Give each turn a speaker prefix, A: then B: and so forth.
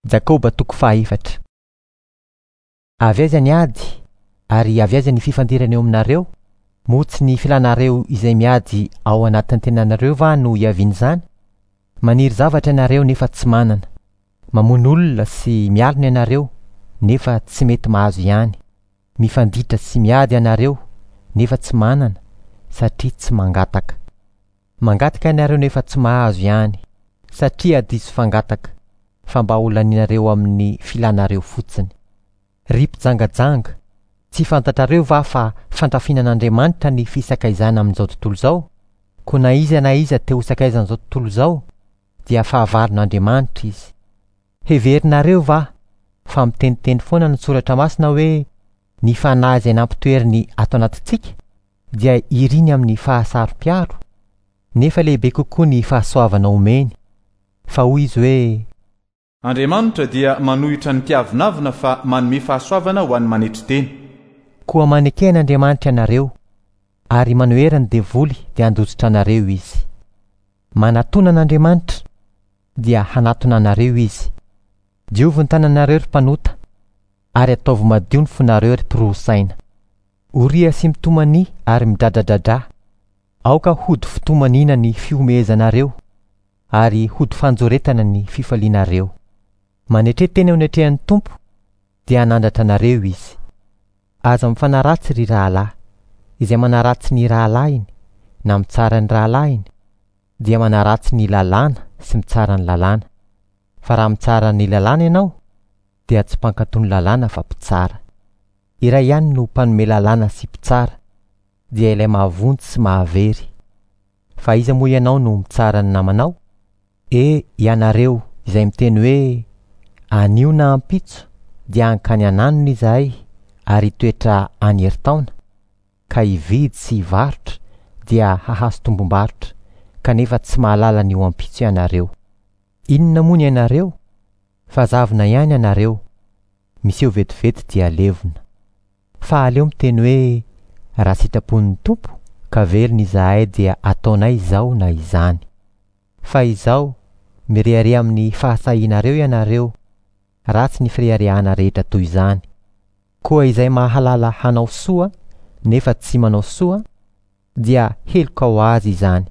A: Jakoba toko fahaefatra. Avy aiza ny ady, ary avy aiza ny fifandirana eo aminareo? Moa tsy ny filanareo izay miady ao anatin'ny tenanareo va no iavian'izany? Maniry zavatra ianareo nefa tsy manana. Mamono olona sy mialona ianareo nefa tsy mety mahazo ihany. Mifanditra sy miady ianareo nefa tsy manana satria tsy mangataka. Mangataka ianareo nefa tsy mahazo ihany satria diso fangataka fa mba ho lanianareo amin'ny filanareo fotsiny. Ry mpijangajanga, tsy fantatrareo va fa fandrafinan'Andriamanitra ny fisakaizana amin'izao tontolo izao? Koa na iza na iza te ho sakaizan'izao tontolo izao dia fahavalon'Andriamanitra izy. Heverinareo va fa miteniteny foana ny soratra masina hoe ny fanahy izay nampitoeriny ato anatintsika dia iriny amin'ny fahasaro-piaro? Nefa lehibe kokoa ny fahasoavana omeny, fa hoy izy hoe.
B: Andriamanitra dia manohitra ny mpiavonavona fa manome fahasoavana ho an'ny manetry tena.
A: Koa maneke an'Andriamanitra ianareo, ary manohera ny devoly dia handositra anareo izy. Manatona an'Andriamanitra, dia hanatona anareo izy. Diovy ny tananareo ry mpanota, ary ataovy madio ny fonareo ry mpiroa saina. Oria sy mitomania ary midradradradrà. Aoka hody fitomaniana ny fihomehezanareo, ary hody fanjoretana ny fifalianareo. Manetre tena eo anatrehan'ny Tompo, dia hanandratra anareo Izy. Aza mifanaratsy ry rahalahy. Izay manaratsy ny rahalahiny, na mitsara ny rahalahiny, dia manaratsy ny lalàna sy mitsara ny lalàna. Fa raha mitsara ny lalàna ianao, dia tsy mpankatò ny lalàna fa mpitsara. Iray ihany no mpanome lalàna sy mpitsara, dia ilay mahavonjy sy mahavery. Fa iza moa ianao no mitsara ny namanao? E, ianareo izay miteny hoe, Anio na ampitso dia hankany an'anona izahay ary hitoetra any herintaona, ka hividy sy hivarotra dia hahazo tombom-barotra, kanefa tsy mahalala ny ho ampitso ianareo. Inona moa ny ainareo? Fa zavona ihany ianareo, miseho vetivety dia levona. Fa aleo miteny hoe, Raha sitrapon'ny Tompo ka velona izahay dia ataonay izao na izany. Fa izao, mirehareha amin'ny fahasahianareo ianareo, ratsy ny fireharehana rehetra toy izany. Koa izay mahalala hanao soa nefa tsy manao soa dia heloka ho azy izany.